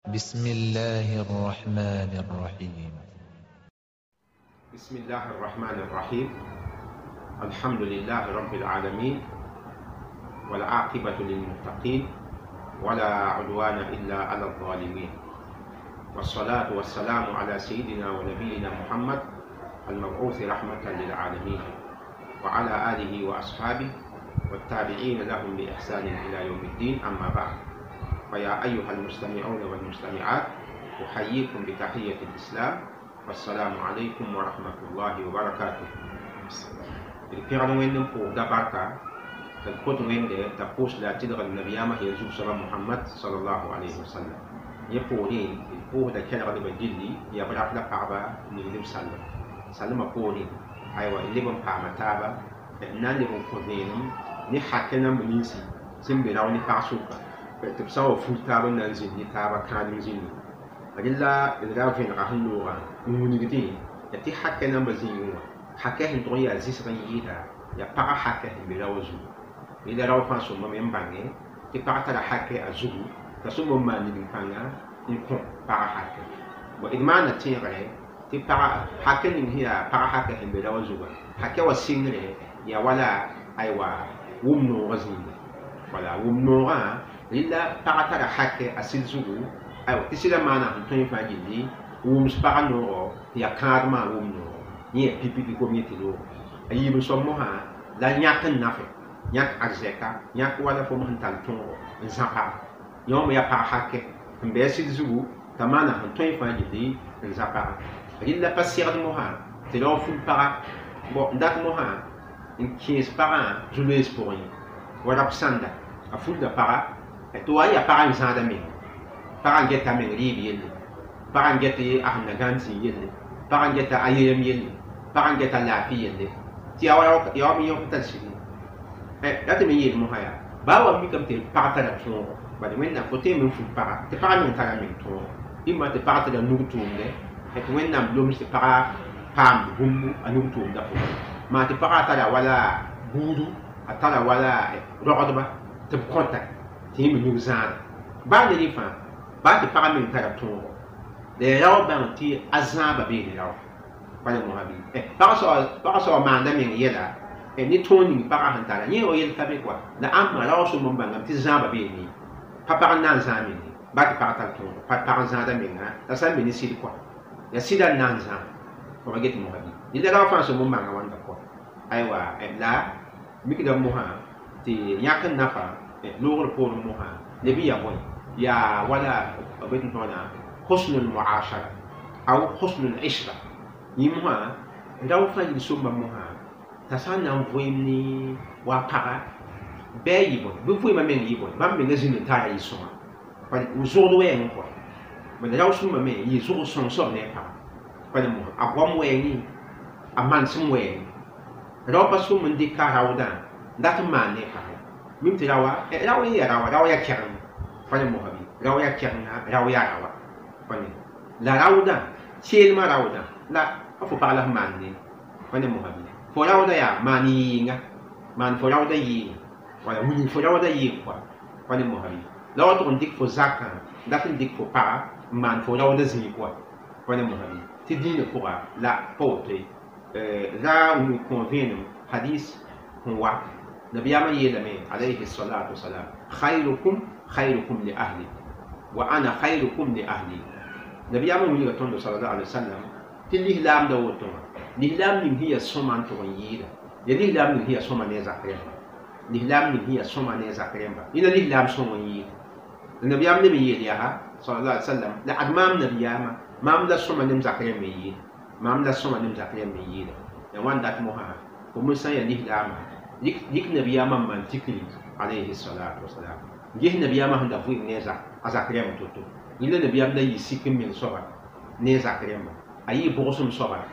بسم الله الرحمن الرحيم. بسم الله الرحمن الرحيم. الحمد لله رب العالمين، والعاقبة للمتقين، ولا عدوان إلا على الظالمين، والصلاة والسلام على سيدنا ونبينا محمد المبعوث رحمة للعالمين، وعلى آله وأصحابه والتابعين لهم بإحسان إلى يوم الدين. أما بعد، فيا أيها المستمعون والمستمعات، أحييكم بتحية الإسلام، والسلام عليكم ورحمة الله وبركاته. D pẽgd Wẽnd n pʋʋsda barka tɩ d kot Wẽnde t'a pʋʋs la a tɩlgd nabiyaamã yel zug-soaba Mohamad salallahu alayhi wasallam. Yẽ poorẽ d pʋʋsda kɛlgdbã gilli, yaa b rap la pagba ningd b sallem salmã poorẽ. Aywa, d leb n paama taaba n na n leb n kõ vẽenem ne hakɛ namb ninsi sẽn be rao ne pag sʋka tɩ b sã n wa fut taab n na n zĩnd ne taaba kãadem zĩndi. Rẽ la d ra vẽnega sẽn loogã n wilgdẽ tɩ hakɛ nambã zĩigẽ wã, hakɛ sẽn tʋg n yaa zɩsg n yɩɩda yaa pagã hakɛ sẽn be rao zugu. Rẽ la rao fãa sõmbame n bãnge tɩ pag tara hakɛ a zugu, t'a sõmb n maan nigm-pãnga n kõ pagã hakɛ. D maana tẽegre tɩ pagã hakɛ ning sẽn yaa pagã hakɛ sẽn be rao zugã, hakɛ wa sɩngre yaa wala aywa wʋm noogã zĩnga. Wala wʋm noogã, rẽ la pagã tara hakɛ a sɩd zugu. Aywa, tɩ sɩdã maana sẽn tõe fãa gilli wʋms pagã noogo tɩ yaa kãadmã wʋm noogo, yẽ yaa pipi kom yẽ tɩ loogo. A yiib n soab mosã la yãk n nafe, yãk arzɛka, yãk wala fo sẽn tar tõogo n zã paga. Yẽ wã me yaa pag hakɛ sẽn be a sɩd zugu t'a maana sẽn tõe fãa gilli n zã paga. Rẽ la pa segd mosã tɩ rao ful paga bõ n dat mosã n kẽes pagã zu-loees pʋgẽ ye wa rap sãnda a fulda paga tɩ wa n yaa pagã n zãada menga, pagã n geta a meng rɩɩb yelle, pagã n get a sẽn na gãnd zĩ yelle, pagã n geta a yelem yelle, pagã n geta laafɩ yelle, tɩ yaa wa me yõk tar sɩd ye. Ra tɩ me yeel mosã yaa baa wa mikame tɩ pag tara tõogo, bala Wẽnnaam fo tõe n fut paga tɩ pagã meng tara meng tõogo, ĩmma tɩ pag tara nug tʋʋmdɛ, tɩ Wẽnnaam loms tɩ pagã paamd bũmb a nug tʋʋmdã pʋgẽ, maa tɩ pagã tara wala buudu, a tara wala rogdba tɩ b kõta tɩ yẽ me nug zãada. Baa ne rẽ fãa, baa tɩ pagã meng tara tõogo, la ya rao bãng tɩ a zãaba beene rao bala mosã bɩ pagã soaba maanda meng yɛla ne tõog ning pagã sẽn tara yẽ wa yel ka be koa la ãmba rao sõmb n bãngame tɩ zãaba beene ye, pa pag n na n zãag meng ye. Baa tɩ pag tar tõogo, pa pag n zãada menga la sã n be ne sɩd koa, yaa sɩda n na n zãag fo pa get mosã bɩ. Rẽ la rao fãa sõmb n bãnga wãnda koa. Aywa, la mikdame mosã tɩ yãk n nafa loogr poorẽ mosã leb n yaa bõe, yaa wala b bet n tõona husnul muashara aw husnul ishra. Yẽ mosã rao fãa yil sõmba mosã t'a sã n na n vɩɩm ne wa paga bɩ a yɩ bõe, bɩ vɩɩmã meng yɩ bõe, bãmb menga zĩnd n tara yɩ-sõnga zʋgd wɛɛngẽ kɔa. Bala rao sõmba me yɩ zʋg sõng soab ne a paga bala mosã a goam wɛɛngẽ, a manesem wɛɛngẽ. Rao pa sõm n dɩk a raoodã n dat n maan ne a paga mim tɩ raoa rao n yaa raoa, rao yaa kɛgeng bala mosã bɩ rao yaa kɛgenga, rao yaa raoa bala la raoodã seelmã raoodã la fo pag la sẽn maan ne bala mosã bɩ fo raoodã yaa maan yɩɩnga, maan fo raoodã yɩɩnga, wala wilg fo raoodã yɩɩg koa bala mosã bɩ la wa tʋg n dɩk fo zakã dat n dɩk fo paga n maan fo raoodã zĩig koa bala mosã bɩ tɩ dĩinã pʋga la pa woto ye. La n kõ vẽenem hadis sẽn wa nabiyaamã yeelame alayhi salatu wasalam: khayrukum khayrukum li ahli wa ana khayrukum li ahli. Nabiyaamã wilga tõndo sallallahu alaihi wasallam tɩ lislaamda woto wã, lislaam ning sẽn yaa sõma n tʋg n yɩɩda, yaa lislaam ning sẽn yaa sõma ne a zak rẽmba, lislaam ning sẽn yaa sõma ne a zak rẽmba, yẽna lislaam sõng n yɩɩda. La nabiyaam leb n yeel yaa sallallahu alaihi wasallam: la ad maam nabiyaamã, maam la sõma ne m zak rẽmb n yɩɩda, maam la sõma ne m zak rẽmb n yɩɩda. Ya wãn dat mosã fo me sã n yaa lislaamã yik nabiyaamã n maan tikri alayhi salatu wasalam, ges nabiyaamã sẽn da vɩɩm ne a zak rẽmb to-to. Yẽ la nabiyaam da yɩ sik n meng soaba ne a zak rẽmba, a yɩ bʋgsem soaba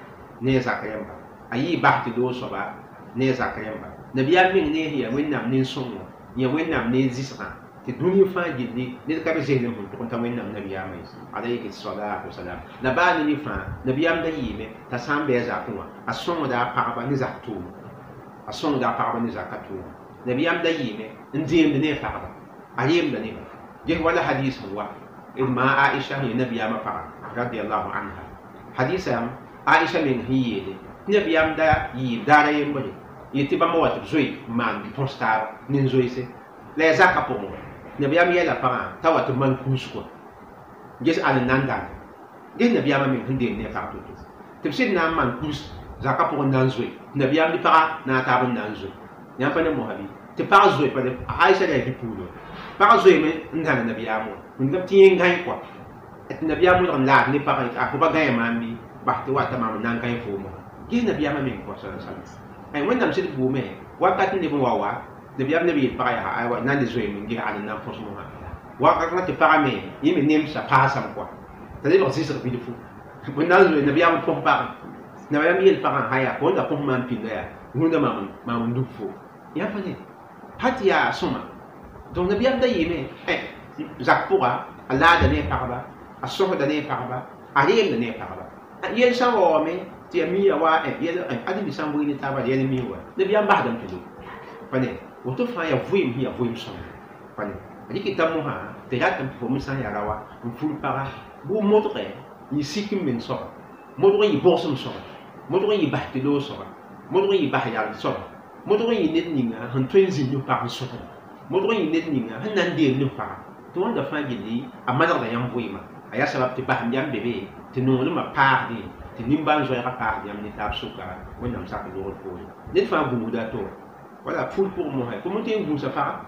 ne a zak rẽmba, a yɩ bas tɩ loog soaba ne a zak rẽmba. Nabiyaam meng ne sẽn yaa Wẽnnaam nin-sõngo, yã Wẽnnaam ne zɩsgã tɩ dũni fãa gilli ned ka be zeslem sẽn tʋg n ta Wẽnnaam nabiyaamã ye alayhi salatu wasalam. La baa ne rẽ fãa nabiyaam da yɩɩme t'a sã n bɩ a zakẽ wã a sõngda a pagba ne zak tʋʋm, a sõngda a pagba ne zaka tʋʋm. Nabiyaam da yɩɩme n deemd ne a pagba, a reemda neba. Ges wala hadis sẽn wa Ma Aisha hi nabiyama paga radiyallahu anha hadisa Aisha men hi yele nabiyam da yi dara yembole yeti bãmb wa tɩ b zoe n maan põs taaba nin-zoeese la yaa zakã pʋgẽ wã nabiyaam yɛla pagã t'a wa tɩ maan kũus kɔa ges ãn n na n dãnga ges nabiyaamã meng sẽn deem ne a pag to-to tɩ b sɩd na n maan kũus zakã pʋgẽ na n zoe tɩ nabiyaam ne pagã na a taab n na n zoe yãmb pa ne mosa bɩ tɩ pag zoe Aisha la yaa bi-puulo pag zoeeme n dãng nabiyaam wã wĩnigame tɩ yẽ n gãe kɔa tɩ nabiyaam wẽlg n laad ne pagã a fo pa gãe maam bɩ bas tɩ wata maam n na n gãe foom wã ges nabiyaamã meng kɔa sala sala wẽnnaam sɩd buume wakat n leb n wa wa nabiyaam neb yeel pagã yaa aywa na n le zoeeme n ges ãn n na n põs mosã wakat tɩ pagã me yẽ me nemsa paasame kɔa t'a lebg zɩsg bilfu b na n zoe nabiyaam n põs pagã nabiyaam yeel pagã haya fo n da põs maam pĩnda yaa rũndã maam n dug fo yaa pa ne pa tɩ yaa sõma donc nabiyaam da yeeme zak pʋga a laada ne a pagba a sõsda ne a pagba a reemda ne a pagba yel sã n wa wame tɩ ya miya wa ãdem sã n bʋɩ ne taaba yɛl mi wa nabiyaam basdame tɩ lob pa ne woto fãa yaa vɩɩm sẽn yaa vɩɩm sõma pa ne rɩkɩta mosã tɩ ratame tɩ fo me sã n yaa raoã n fur paga bʋ modgɛ yɩ sik n meng soaba modg n yɩ bʋgsem soaba modg n yɩ bas tɩ loog soaba modg n yɩ bas yal soaba modg n yɩ ned ninga sẽn tõe n zĩ nus-pag n sõsda modg n yɩ ned ninga sẽn na n deem nus-paga tɩ wãnda fãa gilli a manegda yãmb vɩɩmã a yaa sabab tɩ basem yam be be tɩ nonglmã paasdẽ tɩ nimbãan-zoɛɛgã paasd yãmb ne taab sʋka wẽnnaam sak loogr poore ned fãa gũusda a to wala fur pʋgẽ mosã fo me tõe n gũusa paga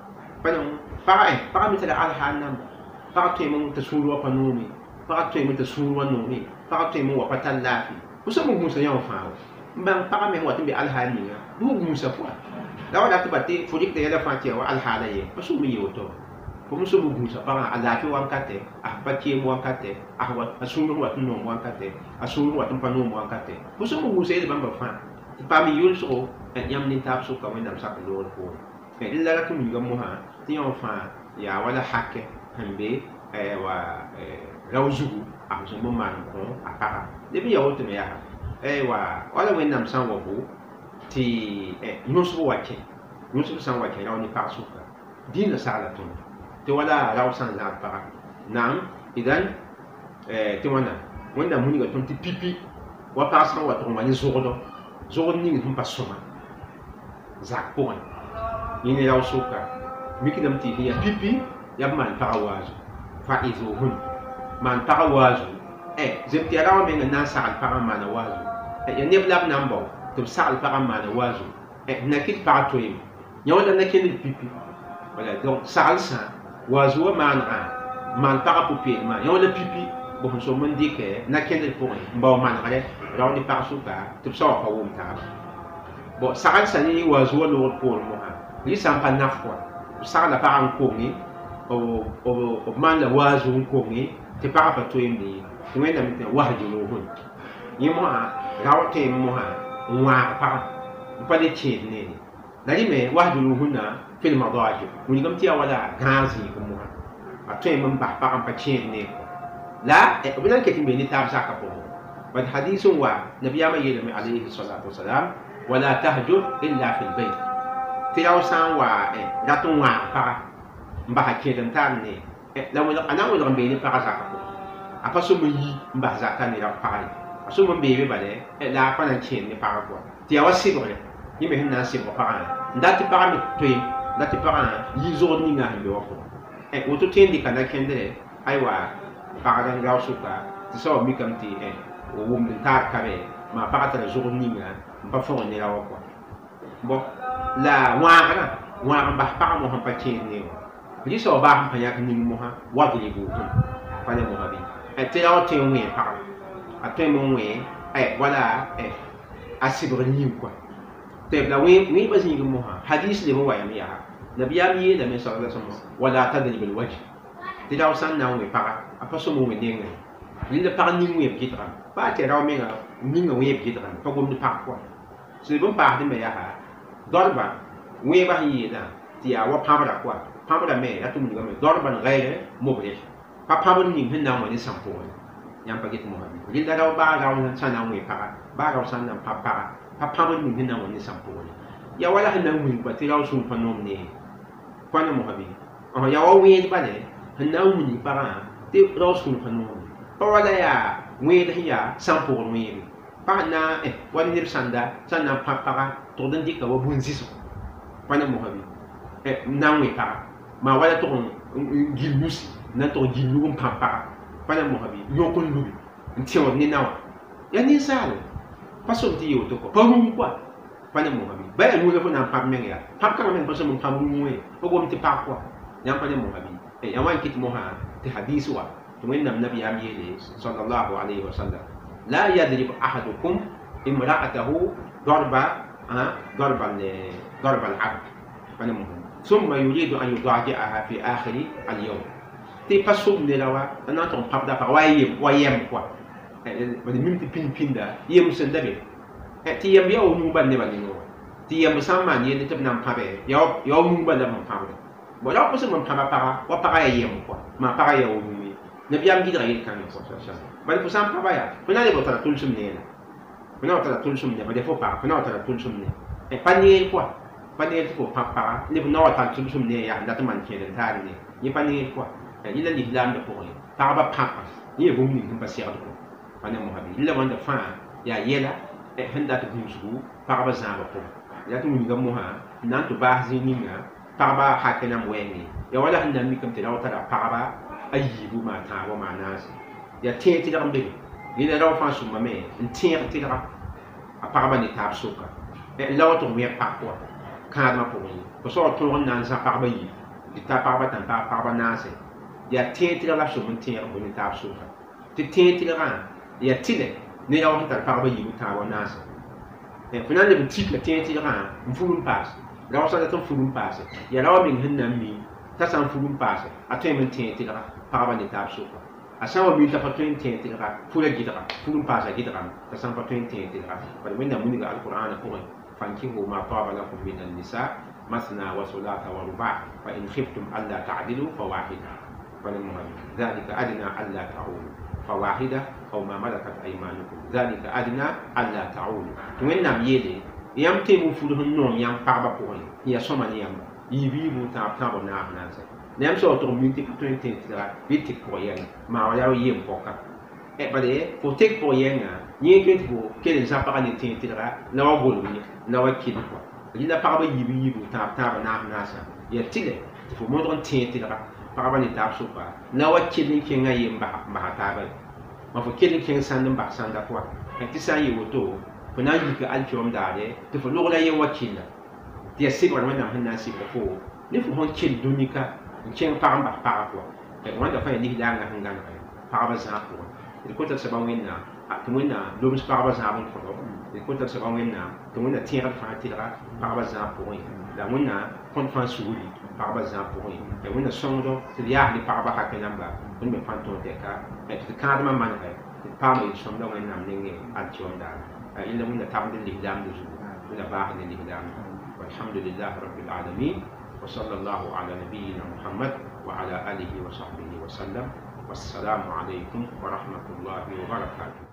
paga paga me tara alhaal namba paga tõeme t'a sũur wa pa noome paga tõeme t'a sũur wa noome paga tõeme n wa pa tar laafɩ fo sã n gũusa yã wã fãa wa n bãng paga me sẽn wat n be alhaal ninga bɩ fo gũusa pʋga la wa dat tɩ ba tɩ fo rɩkda yɛla fãa tɩ yaa wa alhaala ye pa sʋm n yee woto fo me sʋm n gũusa pagã a laafɩ wankatɛ a pa keem wankatɛ a sũur sẽn wat n noom wankatɛ a sũur sẽn wat n pa noom wankatɛ fo sũm n gũusa yel bãmba fãa tɩ paam yʋlsgo yãmb nin-taab sʋka wẽnnaam sak loogr poorẽ rẽ la rat n wilga mosã tɩ yã wã fãa yaa wala hakɛ sẽn be wa rao zugu a sẽn n maan kõ a paga leb n yaa woto me yaa wala wẽnnaam sã n wa bo tɩ yõsg wa kẽ yõsg sã n wa kẽ rao ne pag sʋka dĩinã sagla tõnd tɩ wala rao sã n zãad paga naam idan tɩ wãna wẽnnaam wilga tõnd tɩ pipi wa pag sã n wa tʋg n wa ne zogdɔ zogd ning sẽn pa sõma zak pʋgẽ yẽ ne rao sʋka mikdame tɩ yaa pipi yaa b maan paga waazu fa'izuhun maan paga waazu zem tɩ yaa raoã meng n na n sagl pagã n maana waazu yaa neb la b na n bao tɩ b sagl pagã n maana waazu na kɩt pag toeeme yã wala na kẽnd pipi wala donc saglsã waazu wã maanegã maan pagã pʋ-peelmã yã wala pipi b sẽn som n dɩkɛ na kẽndr pʋgẽ n bao manegrɛ rao ne pag sʋka tɩ b sa wa pa wʋm taaba bon saglsã ne waazu wã loogd poorẽ mosã rɩ sã n pa naf kɔa b sagla pagã n konge b maan la waazu n konge tɩ pagã pa toeemde ye tɩ wẽnnaam tɩ wahjuruhun yẽ mosã rao tõeme mosã n wãag pagã n pa le kẽed neere la rẽ me wahjuruhunna fil madaji wilgame tɩ yaa wala gãag zĩig mosã a tõeme n bas pagã n pa kẽed neer la b na n ket n be ne taab zakã pʋgẽ bad hadis n wa nabiyaamã yeelame alayhi salatu wasalam wala tahjur illa fi lbayt tɩ rao sã n wa rat n wãag paga n basa kẽed n tar ne la a na n welg n bee ne pagã zakã pʋgẽ a pa sõm n yi n bas zakã ne pagã ye a sõm n beebe bala la a pa na n kẽed ne pagã pʋgã tɩ yaa wa sɩbgrɛ yẽ me sẽn na n sɩbg pagã n dat tɩ pagã me toeem dat tɩ pagã yi zogd ninga sẽn be wã pʋgẽ woto tõe n dɩka na-kẽndrɛ aywa pagd n rao sʋka tɩ soaba mikame tɩ wʋmd n taar kabe maa pagã tara zogd ninga n pa fõgen ne rao wã kɔa bon la wãagrã wãag n bas pagã mosã n pa kẽed ne wã rɩ soaba baas n pa yãk ning mosã wadribuhun pa ne mosã bɩ tɩ rao tõe n wẽ pagã a tõeme n wẽ wala a sɩbgr yĩng kɔa tɩ la wẽebã zĩig mosã hadis leb n wa yame yaa nabiyaam yeelame sala sallam wala tadrib alwajh tɩ rao sã n na n wẽ paga a pa sõm n wẽ nengẽ rẽnda pag ning wẽeb gɩdgame baa tɩ rao menga ninga wẽeb gɩdgame pa gomd pag pʋgẽ sẽd b n paasdẽ me yaa dorba wẽebã sẽn yeelã tɩ yaa wa pãbra kɔa pãbra me rat n wilgame dorban gaire mubrih pa pãbr ning sẽn na n wa ne sãn pʋgẽ yãmb pa get mosã bɩ rẽnda rao baa rao sã na n wẽ paga baa rao sã n na n pãb paga pa pãbr ning sẽn na n wa ne sãn pʋgẽ yaa wala sẽn na n wilg tɩ rao sũur pa noom ne pa ne mosã bɩ yaa wa wẽed bale sẽn na n wilg pagã Tɩ rao sũur pa noore pa wala yaa wẽed sẽn yaa sãn pʋgr wẽebe pag na wa neb sãnda sã n na n pãb paga tʋgd n dɩka wa bũn-zɩsg pa ne mosã bɩ n na n wẽ paga maa wala tʋg n gil nusi n na n tʋg n gil nug n pãb paga pa ne mosã bɩ yõk n lubi n tẽod ne naoã yaa ninsaal pa som tɩ yɩ woto kɔ pa rũm koa pa ne mosã bɩ ba yaa nuu la fo na n pãb meng yaa pãb kãngã meng pa sõm n pãb rũm wẽ fo gom tɩ pag koa yãmb pa ne mosã bɩ yã wa n kɩt mosã tɩ hadis wa tɩ wẽnnaam nabiyaam yeele sallallahu alayhi wa sallam la yadrib ahadukum imra'atahu darba darba darba al-abd pa ne mosã ثم يريد أن يضاجعها في آخر اليوم tɩ pa sʋm neda wa n na n tʋg n pãbda pag wa yem wa yɛm koa bad mim tɩ pĩnd pĩnda yem sẽn da be tɩ yemb yaa wa nuu bal nebã nengẽ wã tɩ yemb sã n maan yelle tɩ b na n pãbe yaa wa nuu bal la b sẽn pãbda bon la wa sẽn n pãba paga wa paga yaa yem koa maa paga yaa wa nuu ye nabiyaam gɩdga yel-kãngã koa bala fo sã n pãba yaa fo na n lebg tara tʋlsem neera fo na wa tara tʋlsem ne bala fo paga fo na wa tara tʋlsem ne pa neer koa pa neer tɩ fo pãb paga leb na wa tar tʋlsem ne yaa dat n maan kẽed n taar ne yẽ pa neer koa yẽla lislaamdã pʋgẽ pagba pãpa yẽ yaa bũmb ning sẽn pa segd kɔ pa ne mosã bɩ la wãnda fãa yaa yɛla sẽn dat gũusgu pagba zãabã pʋgẽ yaa tɩ wilga mosã n na n tɩ baas zĩig ninga pagba hakɛ nam wɛɛngẽ yaa wala sẽn na n mikame tɩ rao tara pagba a yiibu maa tãabo maa naase yaa tẽeg tɩlg n be be yẽla rao fãa sʋmame n tẽeg tɩlga a pagba ne taab soka la wa tɩ wẽg pag pʋga kãadmã pʋgẽ ye fo soab tõog n na n zã pagba yiib tɩ ta pagba tã n paag pagba naase yaa tẽeg tɩlg la b sʋm n tẽeg n bõ ne taab soka tɩ tẽeg tɩlgã yaa tɩlɛ ne rao sẽn tar pagba yiibu tãabo naase fo na n leb n tik la tẽeg tɩlgã n fur n paase rao sã dat n fur n paase yaa rao meng sẽn na n mi t'a sã n fur n paase a tõeme n tẽeg tɩlga pagba ne taab soka a sã n wa mi t'a pa tõe n tẽeg tɩlga fura gɩdga fur n paasa gɩdgame t'a sã n pa tõe n tẽeg tɩlga bala wẽnnaam wilga alqur'ana pʋgẽ fankihu ma taba lakum min annisa masna wa ثلاث ورباع فإن خفتم ألا تعدلوا فواحدة ذلك أدنى ألا تعولوا فواحدة أو ما ملكت أيمانكم ذلك أدنى ألا تعولوا wẽnnaam yeele yãmb tẽem n fud sẽn noom yãmb pagba pʋgẽ ya sõma ne yãmba yiib yiibu tãab tãabo naas naase la yãmb sã tʋg n min tɩ pa tõe n tẽeg tɩlga bɩ tɩk pʋg yɛngã maa wa yaa yem pɔka bala fo tek pʋg yɛngã yẽ tõe tɩ fo kell n zã pagã ne tẽeg tɩlga la wa golg ye la wa kell kɔa rɩla pagba yiib yiibu tãab tãaba naas naasã yaa tɩlɛ tɩ fo modg n tẽeg tɩlga pagba ne taab soka la wa kell n kẽngã ye n basa taaba ye ma fo kell n kẽng sãnd n bas sãnda pʋga tɩ sã n yɩ woto fo na n yika alkiom daare tɩ fo logla yen wa killa tɩ yaa sɩbgr wẽnnaam sẽn na n sɩbg fo ne fo sẽn kell dũnika n kẽng pag n bas paga pʋga wãnda fãa yaa lislaangã sẽn gãneg pagba zãag pʋgẽ d kõta soaba wẽnnaam tɩ wẽnnaam loms pagba zãab n kõdo d kõta soaba wẽnnaam tɩ wẽnna tẽegd fãa tɩlga pagba zãag pʋgẽ la wẽnnaam kõt fãa sugri pagba zãag pʋgẽ la wẽnna sõngdo tɩ d yaas ne pagba hakɛ namba tõnd me fãa tõog tɛka tɩ d kãadmã manegɛ tɩ d paama yel-sõmda wẽnnaam nengẽ alkiom daare yẽla wẽnna tabd lislaamd zugu wẽnna baasd ne lislaamd walhamdulilah rabbil alamin وصلى الله على نبينا محمد وعلى آله وصحبه وسلم والسلام عليكم ورحمة الله وبركاته.